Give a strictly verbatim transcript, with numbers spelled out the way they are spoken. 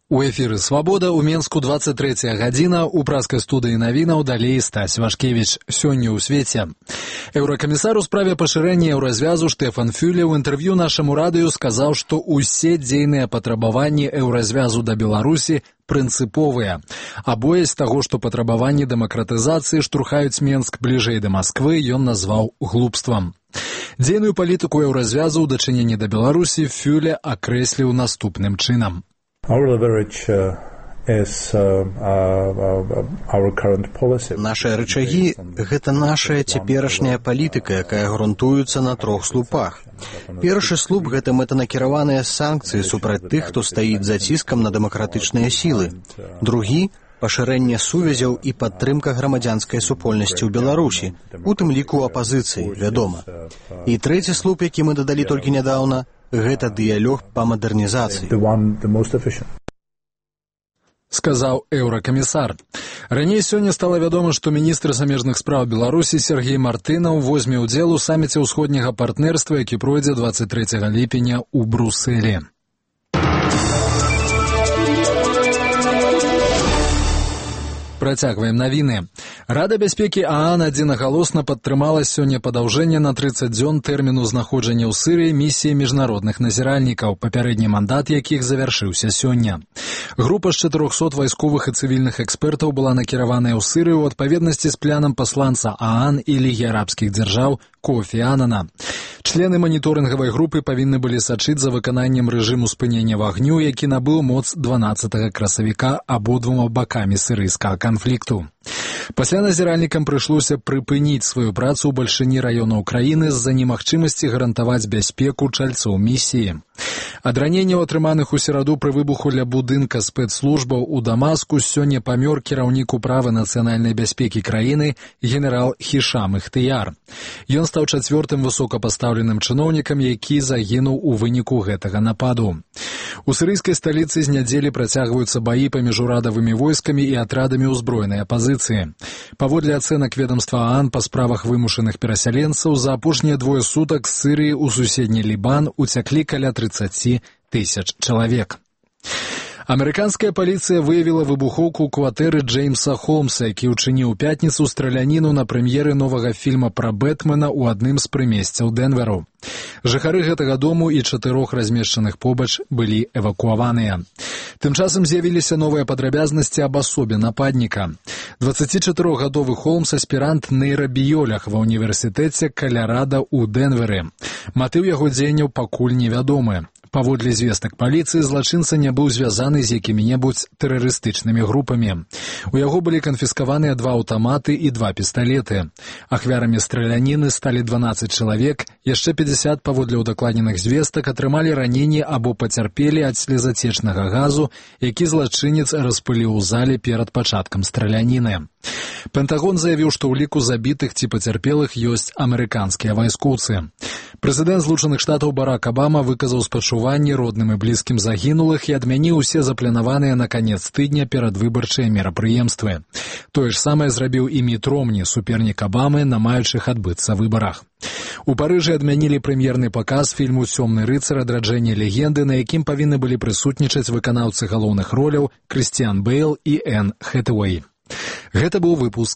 У эфіры «Свабода» ў Менску двадцать трэцяя гадзіна, у праскай студыі навінаў далей Стась Вашкевіч. Сёння ў свеце. Еўракамісар у справе пашырэння еўразвязу Штефан Фюле ў інтэрв'ю нашаму радыё сказаў, што ўсе дзейныя патрабаванні еўразвязу да Беларусі прынцыповыя. А боязь таго, што патрабаванні дэмакратызацыі штурхаюць Менск бліжэй да Масквы, ён назваў глупствам. Дзейную палітыку еўразвязу ў дачыненні да Беларусі Фюле акрэсліў наступным чынам. Нашыя рычагі – гэта нашая цяперашняя палітыка, якая грунтуецца на трох слупах. Першы слуп – гэта мэтанакіраваныя санкцыі супраць тых, хто стаіць за ціскам на дэмакратычныя сілы. Другі – пашырэнне сувязяў і падтрымка грамадзянскай супольнасці ў Беларусі, у тым ліку апазіцыі, вядома. І трэці слуп, які мы дадалі толькі нядаўна – гэта дыялог па мадэрнізацыі. Сказаў еўракамісар. Раней сёння стала вядома, што міністр замежных спраў Беларусі Сергей Мартынаў возьме ўдзел у саміце ўсходняга партнерства, які пройдзе двадцать трэцяга ліпеня ў Брусэлі. Працягваем навіны. Рада бяспекі ААН адзінагалосна падтрымала сёння падаўжэнне на трыццаць дзён тэрміну знаходжання ў Сірыі місіі міжнародных назіральнікаў, папярэдні мандат якіх завяршыўся сёння. Група з чатырохсот вайсковых і цывільных экспертаў была накіраваная ў Сірыю ў адпаведнасці з планам пасланца ААН і Лігі арабскіх дзяржаў Кофі Анана. Члены маніторынгавай групы павінны былі сачыць за выкананнем рэжыму спынення вагню, які набыў моц дванаццатага красавіка абодвума бакамі сірыйскага канфлікту. Пасля назіральнікам прыйшлося прыпыніць сваю працу ў бальшыні раёнаў краіны з-за немагчымасці гарантаваць бяспеку чальцоў місіі. Ад раненняў, атрыманых у сераду пры выбуху ля будынка спецслужбаў у Дамаску, сёння памёр кіраўнік управы нацыянальнай бяспекі краіны генерал Хішам Ихтыяр. Ён стаў чацвёртым высокапастаўленым чыноўнікам, які загінуў у выніку гэтага нападу. У сірыйскай сталіцы з нядзелі працягваюцца баі паміж урадавымі войскамі і атрадамі ўзброенай апазіцыі. Паводле ацэнак ведамства ААН па справах вымушаных перасяленцаў, за апошнія двое сутак з Сірыі ў суседні Лібан уцяклі каля трыццаць тысяч чалавек. Амерыканская паліцыя выявіла выбухоўку ў кватэры Джеймса Холмса, які ўчыніў у пятніцу страляніну на прэм'еры новага фільма пра Бэтмена ў адным з прымесцяў Дэнверу. Жыхары гэтага дому і чатырох размешчаных побач былі эвакуаваныя. Тым часам з'явіліся новыя падрабязнасці аб асобе нападніка. дваццацічатырохгадовы Холмс – аспірант нейрабіёлаг ва ўніверсітэце Калярада ў Дэнверы. Матыў яго дзеянняў пакуль невядомы. Паводле звестак паліцыі, злачынца не быў звязаны з якімі-небудзь тэрарыстычнымі групамі. У яго былі канфіскаваныя два аўтаматы і два пісталеты. Ахвярамі страляніны сталі дванаццаць чалавек, яшчэ пятьдесят, паводле ўдакладненых звестак, атрымалі раненні або пацярпелі ад слезацечнага газу, які злачынец распыліў у зале перад пачаткам страляніны. Пентагон заявіў, што ў ліку забітых ці пацярпелых ёсць амерыканскія вайскоўцы. Прэзідэнт Злучаных Штатаў Барак Абама выказаў спачуванні родным і блізкім загінулых і адмяніў усе запланаваныя на канец тыдня перадвыбарчыя мерапрыемствы. Тое ж самае зрабіў і Міт Ромні, супернік Абамы на маючых адбыцца выбарах. У Парыжы адмянілі прэм'ерны паказ фільму «Цёмны рыцар. Адраджэнне легенды», на якім павінны былі прысутнічаць выканаўцы галоўных роляў Крыстіан Бэйл і Энн Хэтэуэй. Гэта быў выпуск